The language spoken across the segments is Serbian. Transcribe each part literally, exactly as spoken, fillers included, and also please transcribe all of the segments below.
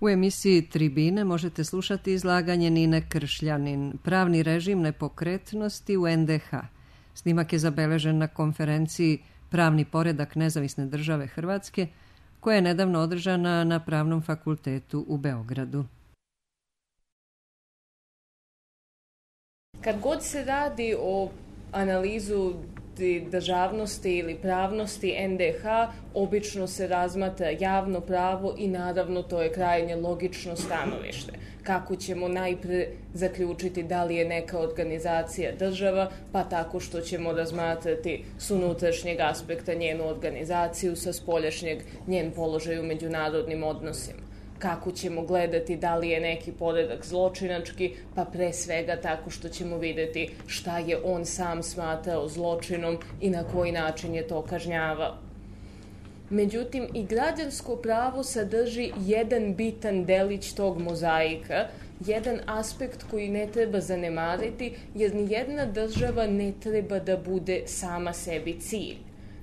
U emisiji Tribine možete slušati izlaganje Nine Kršljanin, pravni režim nepokretnosti u en de ha. Snimak je zabeležen na konferenciji Pravni poredak Nezavisne države Hrvatske, koja je nedavno održana na Pravnom fakultetu u Beogradu. Kad god se radi o analizu državnosti ili pravnosti en de ha, obično se razmatra javno pravo i naravno to je krajnje logično stanovište. Kako ćemo najpre zaključiti da li je neka organizacija država, pa tako što ćemo razmatrati s unutrašnjeg aspekta njenu organizaciju, sa spoljašnjeg njen položaj u međunarodnim odnosima. Kako ćemo gledati da li je neki poredak zločinački, pa pre svega tako što ćemo videti šta je on sam smatrao zločinom i na koji način je to kažnjavao. Međutim, i građansko pravo sadrži jedan bitan delić tog mozaika, jedan aspekt koji ne treba zanemariti, jer nijedna država ne treba da bude sama sebi cilj.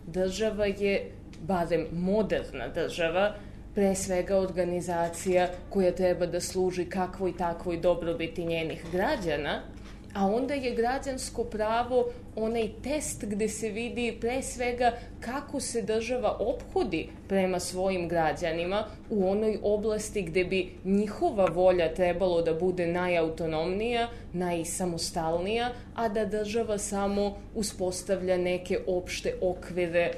Država je, barem moderna država, pre svega organizacija koja treba da služi kakvoj takvoj dobrobiti njenih građana, a onda je građansko pravo onaj test gde se vidi pre svega kako se država ophodi prema svojim građanima u onoj oblasti gde bi njihova volja trebalo da bude najautonomnija, najsamostalnija, a da država samo uspostavlja neke opšte okvire,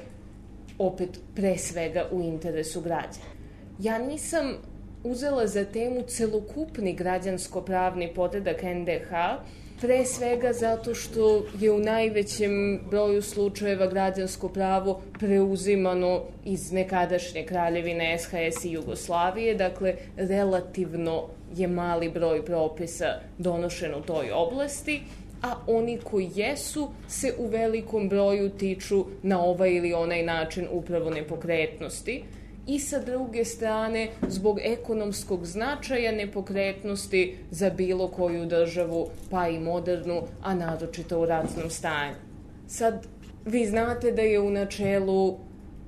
opet pre svega u interesu građana. Ja nisam uzela za temu celokupni građansko-pravni poredak en de ha, pre svega zato što je u najvećem broju slučajeva građansko pravo preuzimano iz nekadašnje kraljevine es ha es i Jugoslavije, dakle relativno je mali broj propisa donošen u toj oblasti, a oni koji jesu se u velikom broju tiču na ovaj ili onaj način upravo nepokretnosti. I sa druge strane, zbog ekonomskog značaja nepokretnosti za bilo koju državu, pa i modernu, a naročito u ratnom stanju. Sad, vi znate da je u načelu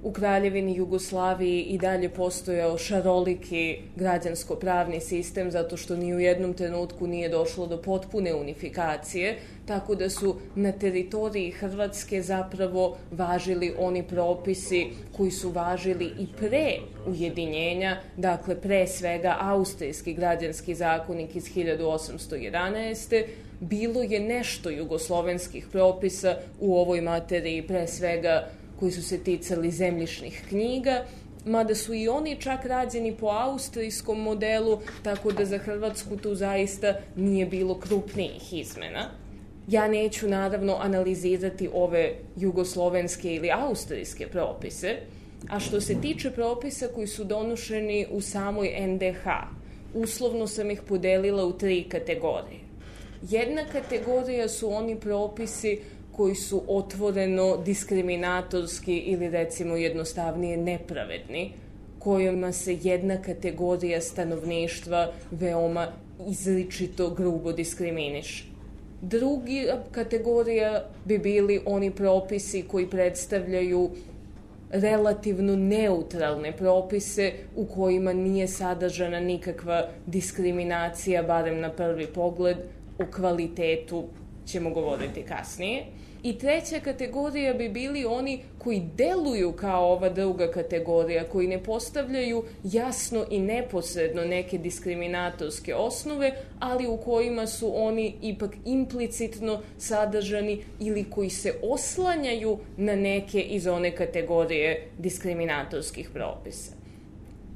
u Kraljevini Jugoslaviji i dalje postojao šaroliki građansko-pravni sistem, zato što ni u jednom trenutku nije došlo do potpune unifikacije, tako da su na teritoriji Hrvatske zapravo važili oni propisi koji su važili i pre ujedinjenja, dakle pre svega Austrijski građanski zakonik iz hiljadu osamsto jedanaeste. Bilo je nešto jugoslovenskih propisa u ovoj materiji, pre svega koji su se ticali zemljišnih knjiga, mada su i oni čak rađeni po austrijskom modelu, tako da za Hrvatsku tu zaista nije bilo krupnijih izmena. Ja neću naravno analizirati ove jugoslovenske ili austrijske propise, a što se tiče propisa koji su donošeni u samoj en de ha, uslovno sam ih podelila u tri kategorije. Jedna kategorija su oni propisi koji su otvoreno diskriminatorski ili recimo jednostavnije nepravedni, kojima se jedna kategorija stanovništva veoma izričito grubo diskriminiše. Druga kategorija bi bili oni propisi koji predstavljaju relativno neutralne propise u kojima nije sadržana nikakva diskriminacija, barem na prvi pogled, o kvalitetu ćemo govoriti kasnije. I treća kategorija bi bili oni koji deluju kao ova druga kategorija, koji ne postavljaju jasno i neposredno neke diskriminatorske osnove, ali u kojima su oni ipak implicitno sadržani ili koji se oslanjaju na neke iz one kategorije diskriminatorskih propisa.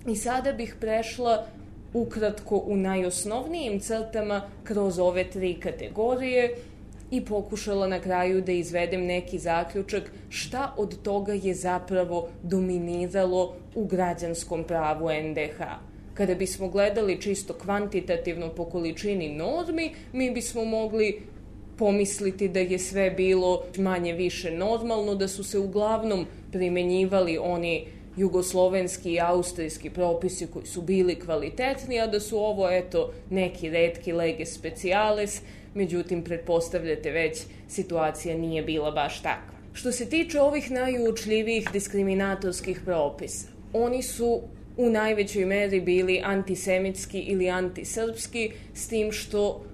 I sada bih prešla ukratko u najosnovnijim crtama kroz ove tri kategorije i pokušala na kraju da izvedem neki zaključak šta od toga je zapravo dominiralo u građanskom pravu en de ha. Kada bismo gledali čisto kvantitativno po količini normi, mi bismo mogli pomisliti da je sve bilo manje više normalno, da su se uglavnom primenjivali oni jugoslovenski i austrijski propisi koji su bili kvalitetni, a da su ovo, eto, neki retki lege speciales, međutim, pretpostavljate već, situacija nije bila baš takva. Što se tiče ovih najuočljivijih diskriminatorskih propisa, oni su u najvećoj meri bili antisemitski ili antisrpski, s tim što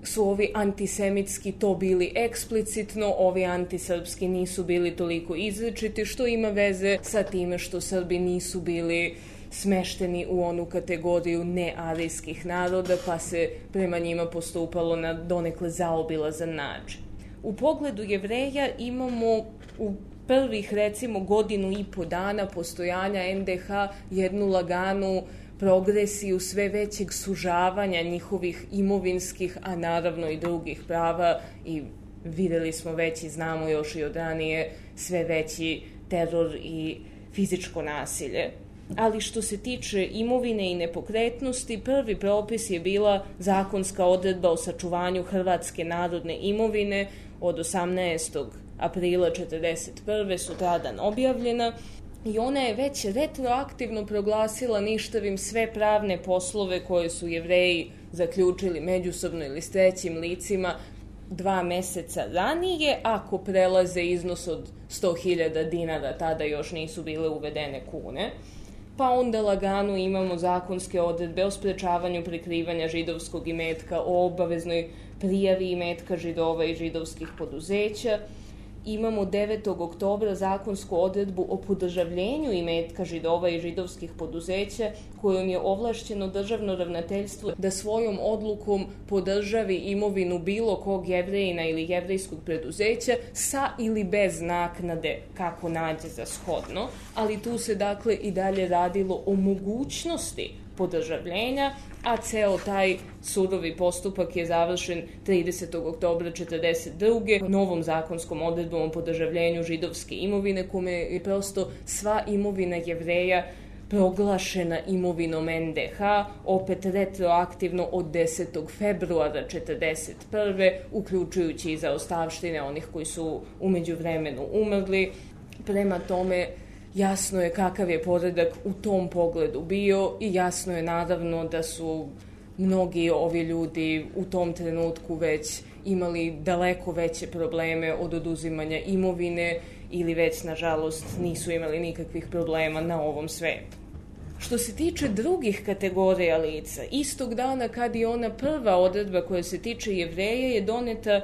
su ovi antisemitski to bili eksplicitno, ovi antisrpski nisu bili toliko izričiti, što ima veze sa time što Srbi nisu bili smešteni u onu kategoriju nearijskih naroda, pa se prema njima postupalo na donekle zaobilazan način. U pogledu Jevreja imamo u prvih, recimo, godinu i po dana postojanja en de ha jednu laganu progresiju sve većeg sužavanja njihovih imovinskih, a naravno i drugih prava, i videli smo već i znamo još i od ranije sve veći teror i fizičko nasilje. Ali što se tiče imovine i nepokretnosti, prvi propis je bila zakonska odredba o sačuvanju hrvatske narodne imovine od osamnaestog aprila četrdeset prve sutradan objavljena, i ona je već retroaktivno proglasila ništavim sve pravne poslove koje su Jevreji zaključili međusobno ili s trećim licima dva meseca ranije, ako prelaze iznos od sto hiljada dinara, tada još nisu bile uvedene kune. Pa onda lagano imamo zakonske odredbe o sprečavanju prikrivanja židovskog imetka, o obaveznoj prijavi imetka Židova i židovskih poduzeća. Imamo devetog oktobra zakonsku odredbu o podržavljenju imetka Židova i židovskih poduzeća, kojom je ovlašćeno državno ravnateljstvo da svojom odlukom podržavi imovinu bilo kog Jevrejina ili jevrejskog preduzeća sa ili bez naknade, kako nađe za shodno, ali tu se dakle i dalje radilo o mogućnosti podržavljenja, a ceo taj surovi postupak je završen tridesetog oktobra četrdeset druge novom zakonskom odredbom o podržavljenju židovske imovine, kome je prosto sva imovina Jevreja proglašena imovinom en de ha, opet retroaktivno od desetog februara četrdeset prve, uključujući i zaostavštine onih koji su u međuvremenu umrli. Prema tome, jasno je kakav je poredak u tom pogledu bio i jasno je naravno da su mnogi ovi ljudi u tom trenutku već imali daleko veće probleme od oduzimanja imovine ili već, nažalost, nisu imali nikakvih problema na ovom svetu. Što se tiče drugih kategorija lica, istog dana kad je ona prva odredba koja se tiče Jevreja je doneta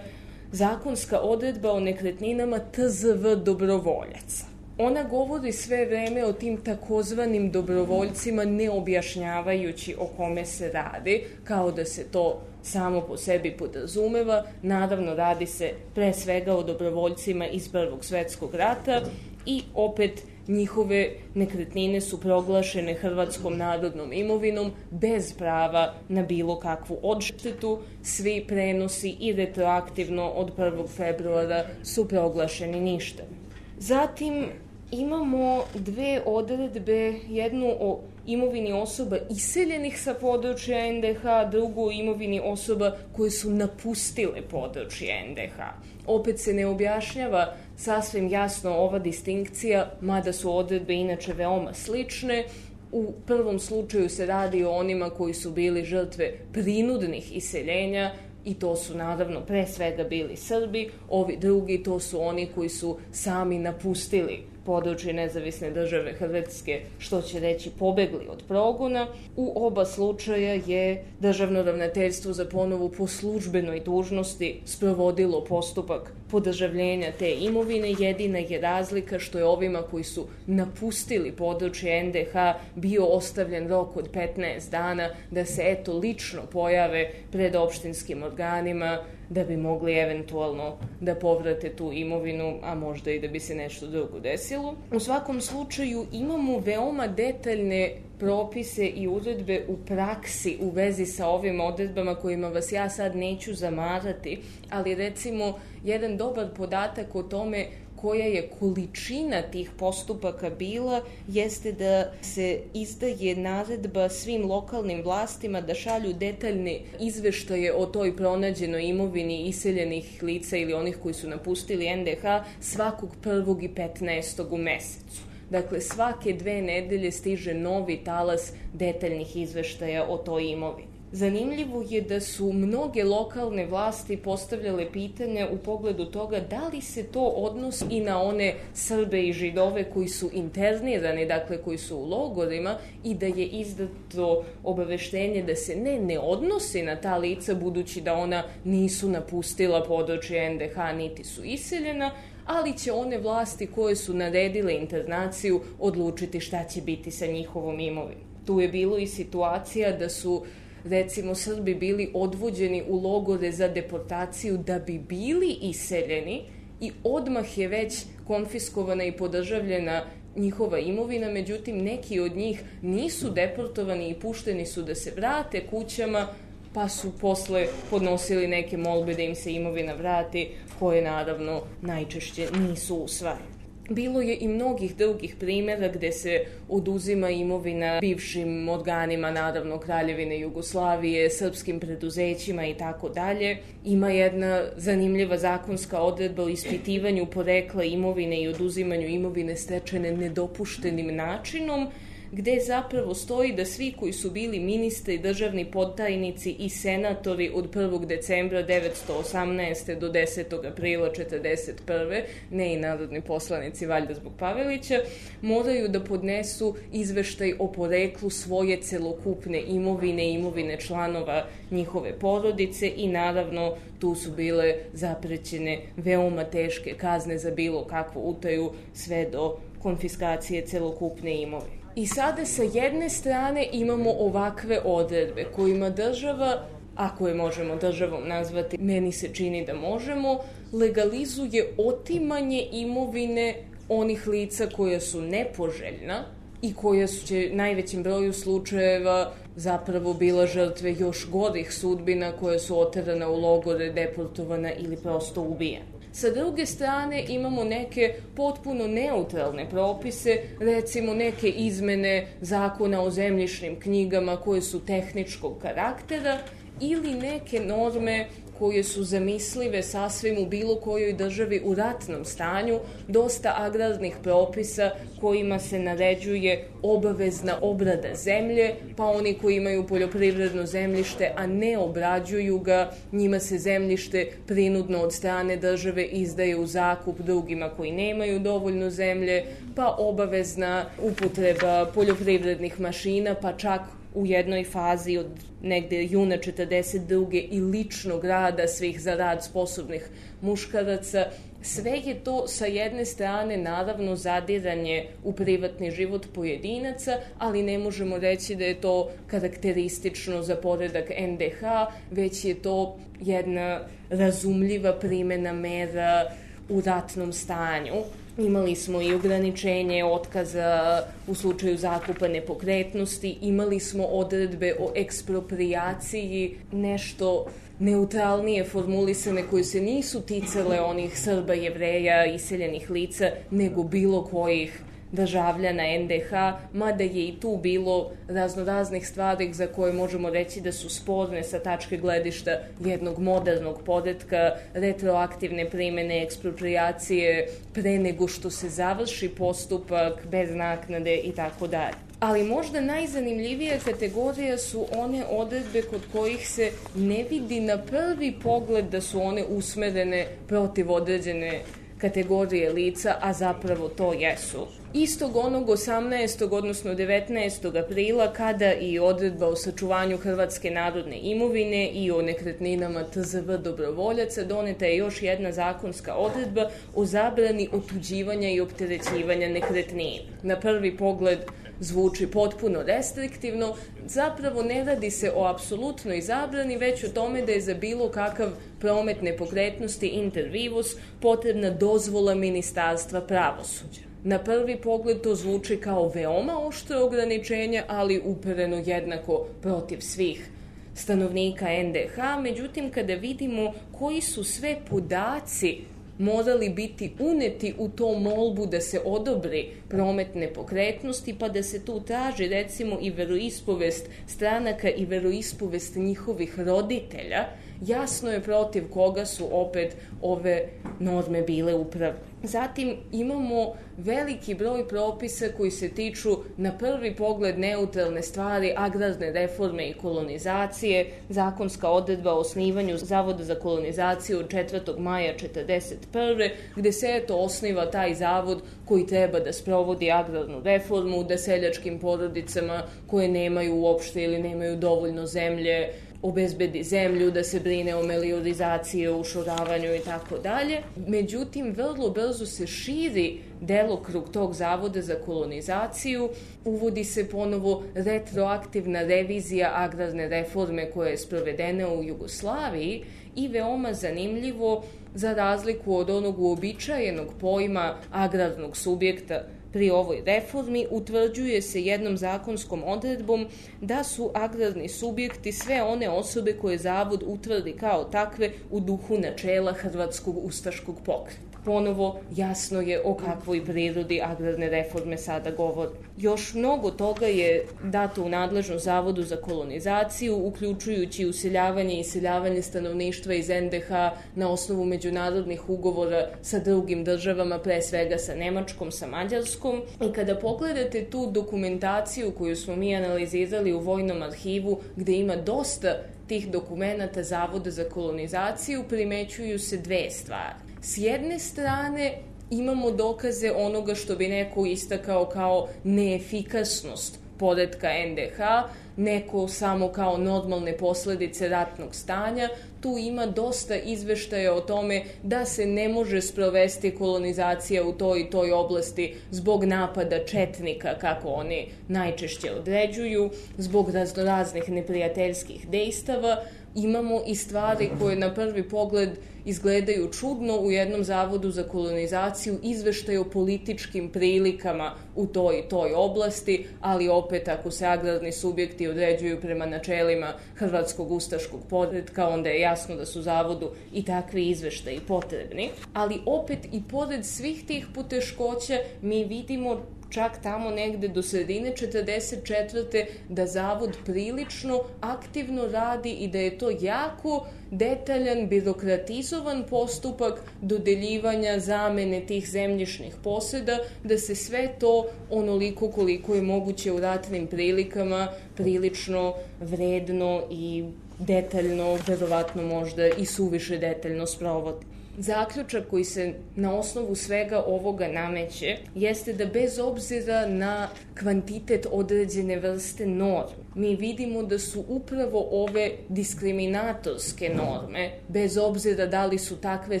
zakonska odredba o nekretninama te ze ve dobrovoljaca. Ona govori sve vreme o tim takozvanim dobrovoljcima, ne objašnjavajući o kome se radi, kao da se to samo po sebi podrazumeva. Naravno, radi se pre svega o dobrovoljcima iz Prvog svetskog rata i opet njihove nekretnine su proglašene hrvatskom narodnom imovinom bez prava na bilo kakvu odštetu. Svi prenosi i retroaktivno od prvog februara su proglašeni ništavim. Zatim imamo dve odredbe, jednu o imovini osoba iseljenih sa područja en de ha, drugu o imovini osoba koje su napustile područje en de ha. Opet se ne objašnjava sasvim jasno ova distinkcija, mada su odredbe inače veoma slične. U prvom slučaju se radi o onima koji su bili žrtve prinudnih iseljenja, i to su naravno pre svega bili Srbi. Ovi drugi, to su oni koji su sami napustili područje nezavisne države Hrvatske, što će reći pobegli od progona. U oba slučaja je Državno ravnateljstvo za ponovu po službenoj dužnosti sprovodilo postupak podržavljenja te imovine. Jedina je razlika što je ovima koji su napustili područje en de ha bio ostavljen rok od petnaest dana da se eto lično pojave pred opštinskim organima da bi mogli eventualno da povrate tu imovinu, a možda i da bi se nešto drugo desilo. U svakom slučaju imamo veoma detaljne propise i uredbe u praksi u vezi sa ovim odredbama kojima vas ja sad neću zamarati, ali recimo jedan dobar podatak o tome koja je količina tih postupaka bila, jeste da se izdaje naredba svim lokalnim vlastima da šalju detaljne izveštaje o toj pronađenoj imovini iseljenih lica ili onih koji su napustili en de ha svakog prvog i petnaestog u mesecu. Dakle, svake dve nedelje stiže novi talas detaljnih izveštaja o toj imovini. Zanimljivo je da su mnoge lokalne vlasti postavljale pitanje u pogledu toga da li se to odnosi i na one Srbe i Židove koji su internirani, dakle koji su u logorima, i da je izdato obaveštenje da se ne, ne odnosi na ta lica budući da ona nisu napustila područje en de ha niti su iseljena, ali će one vlasti koje su naredile internaciju odlučiti šta će biti sa njihovom imovinom. Tu je bilo i situacija da su recimo Srbi bili odvođeni u logore za deportaciju da bi bili iseljeni i odmah je već konfiskovana i podržavljena njihova imovina, međutim neki od njih nisu deportovani i pušteni su da se vrate kućama, pa su posle podnosili neke molbe da im se imovina vrati, koje naravno najčešće nisu usvajane. Bilo je i mnogih drugih primjera gde se oduzima imovina bivšim organima, naravno Kraljevine Jugoslavije, srpskim preduzećima i tako dalje. Ima jedna zanimljiva zakonska odredba o ispitivanju porekla imovine i oduzimanju imovine stečene nedopuštenim načinom, gde zapravo stoji da svi koji su bili ministri, državni podtajnici i senatori od prvog decembra devetsto osamnaeste. do desetog aprila četrdeset prve. ne i narodni poslanici, valjda zbog Pavelića, moraju da podnesu izveštaj o poreklu svoje celokupne imovine i imovine članova njihove porodice i naravno tu su bile zaprećene veoma teške kazne za bilo kakvu utaju sve do konfiskacije celokupne imovine. I sada sa jedne strane imamo ovakve odredbe kojima država, ako je možemo državom nazvati, meni se čini da možemo, legalizuje otimanje imovine onih lica koja su nepoželjna i koja su će najvećem broju slučajeva zapravo bila žrtve još gorih sudbina koje su oterana u logore, deportovana ili prosto ubijena. Sa druge strane imamo neke potpuno neutralne propise, recimo neke izmene zakona o zemljišnim knjigama koje su tehničkog karaktera ili neke norme koje su zamislive sasvim u bilo kojoj državi u ratnom stanju, dosta agrarnih propisa kojima se naređuje obavezna obrada zemlje, pa oni koji imaju poljoprivredno zemljište, a ne obrađuju ga, njima se zemljište prinudno od strane države izdaje u zakup drugima koji nemaju dovoljno zemlje, pa obavezna upotreba poljoprivrednih mašina, pa čak u jednoj fazi od negde juna četrdeset druge i ličnog rada svih za rad sposobnih muškaraca. Sve je to sa jedne strane naravno zadiranje u privatni život pojedinaca, ali ne možemo reći da je to karakteristično za poredak en de ha, već je to jedna razumljiva primena mera u ratnom stanju. Imali smo i ograničenje otkaza u slučaju zakupa nepokretnosti, imali smo odredbe o eksproprijaciji, nešto neutralnije formulisane koje se nisu ticale onih Srba, Jevreja, iseljenih lica, nego bilo kojih državljana en de ha, mada je i tu bilo raznoraznih stvari za koje možemo reći da su sporne sa tačke gledišta jednog modernog poretka, retroaktivne primene eksproprijacije pre nego što se završi postupak, bez naknade i tako dalje. Ali možda najzanimljivija kategorija su one odredbe kod kojih se ne vidi na prvi pogled da su one usmerene protiv određene kategorije lica, a zapravo to jesu. Istog onog osamnaestog odnosno devetnaestog aprila, kada i odredba o sačuvanju hrvatske narodne imovine i o nekretninama te ze ve dobrovoljaca, doneta je još jedna zakonska odredba o zabrani otuđivanja i opterećivanja nekretnina. Na prvi pogled zvuči potpuno restriktivno, zapravo ne radi se o apsolutnoj zabrani, već o tome da je za bilo kakav promet nepokretnosti inter vivos potrebna dozvola Ministarstva pravosuđa. Na prvi pogled to zvuči kao veoma oštro ograničenje, ali upereno jednako protiv svih stanovnika en de ha, međutim kada vidimo koji su sve podaci morali biti uneti u to molbu da se odobri promet nepokretnosti, pa da se tu traži recimo i veroispovest stranaka i veroispovest njihovih roditelja, jasno je protiv koga su opet ove norme bile upravne. Zatim imamo veliki broj propisa koji se tiču na prvi pogled neutralne stvari, agrarne reforme i kolonizacije, zakonska odredba o osnivanju Zavoda za kolonizaciju od četvrtog maja četrdeset prve gde se eto osniva taj zavod koji treba da sprovodi agrarnu reformu, da seljačkim porodicama koje nemaju uopšte ili nemaju dovoljno zemlje obezbedi zemlju, da se brine o meliorizaciji, o ušoravanju i tako dalje. Međutim, vrlo brzo se širi delokrug tog Zavoda za kolonizaciju, uvodi se ponovo retroaktivna revizija agrarne reforme koja je sprovedena u Jugoslaviji i veoma zanimljivo, za razliku od onog uobičajenog pojma agrarnog subjekta pri ovoj reformi, utvrđuje se jednom zakonskom odredbom da su agrarni subjekti sve one osobe koje Zavod utvrdi kao takve u duhu načela Hrvatskog ustaškog pokreta. Ponovo jasno je o kakvoj prirodi agrarne reforme sada govori. Još mnogo toga je dato u nadležnost Zavodu za kolonizaciju, uključujući useljavanje i iseljavanje stanovništva iz en de ha na osnovu međunarodnih ugovora sa drugim državama, pre svega sa Nemačkom, sa Mađarskom. I kada pogledate tu dokumentaciju koju smo mi analizirali u Vojnom arhivu, gde ima dosta tih dokumenata Zavoda za kolonizaciju, primećuju se dve stvari. S jedne strane imamo dokaze onoga što bi neko istakao kao neefikasnost poretka en de ha, neko samo kao normalne posledice ratnog stanja. Tu ima dosta izveštaja o tome da se ne može sprovesti kolonizacija u toj i toj oblasti zbog napada četnika, kako oni najčešće određuju, zbog raznoraznih neprijateljskih dejstava. Imamo i stvari koje na prvi pogled izgledaju čudno u jednom Zavodu za kolonizaciju, izveštaj o političkim prilikama u toj i toj oblasti, ali opet ako se agrarni subjekti određuju prema načelima Hrvatskog ustaškog poretka, onda je jasno da su Zavodu i takvi izveštaji potrebni. Ali opet i pored svih tih poteškoća mi vidimo čak tamo negde do sredine četrdeset četvrte da Zavod prilično aktivno radi i da je to jako detaljan, birokratizovan postupak dodeljivanja zamene tih zemljišnih poseda, da se sve to onoliko koliko je moguće u ratnim prilikama prilično vredno i detaljno, verovatno možda i suviše detaljno sprovodi. Zaključak koji se na osnovu svega ovoga nameće jeste da bez obzira na kvantitet određene vrste norme, mi vidimo da su upravo ove diskriminatorske norme, bez obzira da li su takve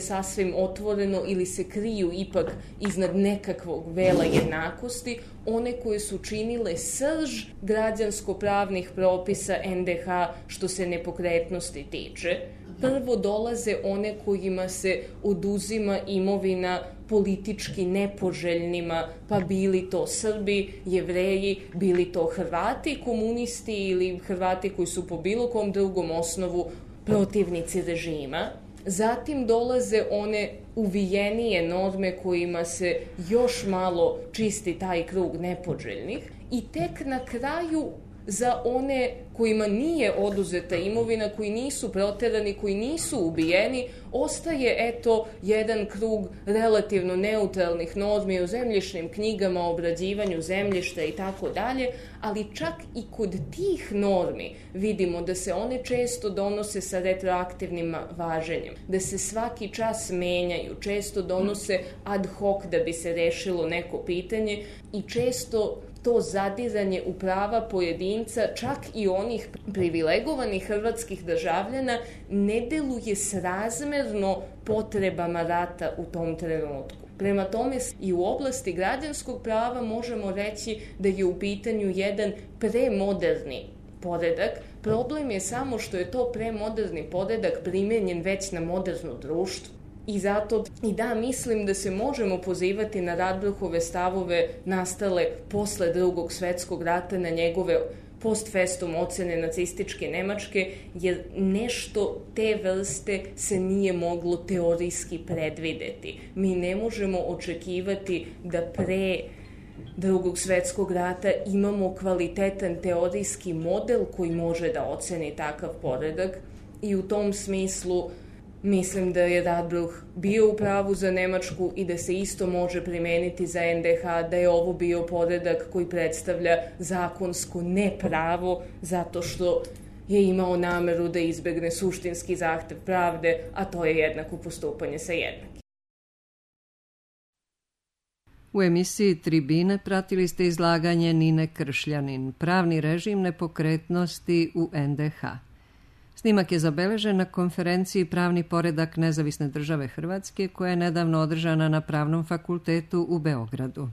sasvim otvoreno ili se kriju ipak iznad nekakvog vela jednakosti, one koje su činile srž građansko-pravnih propisa en de ha što se nepokretnosti tiče. Prvo dolaze one kojima se oduzima imovina politički nepoželjnima, pa bili to Srbi, Jevreji, bili to Hrvati, komunisti ili Hrvati koji su po bilo kom drugom osnovu protivnici režima. Zatim dolaze one uvijenije norme kojima se još malo čisti taj krug nepoželjnih i tek na kraju za one kojima nije oduzeta imovina, koji nisu proterani, koji nisu ubijeni, ostaje eto jedan krug relativno neutralnih normi o zemljišnim knjigama, o obrađivanju zemljišta i tako dalje, ali čak i kod tih normi vidimo da se one često donose sa retroaktivnim važenjem, da se svaki čas menjaju, često donose ad hoc da bi se rešilo neko pitanje i često to zadiranje u prava pojedinca, čak i onih privilegovanih hrvatskih državljana, ne deluje srazmerno potrebama rata u tom trenutku. Prema tome i u oblasti građanskog prava možemo reći da je u pitanju jedan premoderni poredak. Problem je samo što je to premoderni poredak primenjen već na moderno društvo. I zato i da mislim da se možemo pozivati na Radbruhove stavove nastale posle Drugog svetskog rata, na njegove post festum ocene nacističke Nemačke, jer nešto te vrste se nije moglo teorijski predvideti. Mi ne možemo očekivati da pre Drugog svetskog rata imamo kvalitetan teorijski model koji može da oceni takav poredak i u tom smislu Mislim da je Radbruch bio u pravu za Nemačku i da se isto može primeniti za en de ha, da je ovo bio poredak koji predstavlja zakonsko nepravo zato što je imao nameru da izbegne suštinski zahtev pravde, a to je jednako postupanje sa jednakim. U emisiji Tribine pratili ste izlaganje Nine Kršljanin, pravni režim nepokretnosti u en de ha. Snimak je zabeležen na konferenciji Pravni poredak Nezavisne države Hrvatske koja je nedavno održana na Pravnom fakultetu u Beogradu.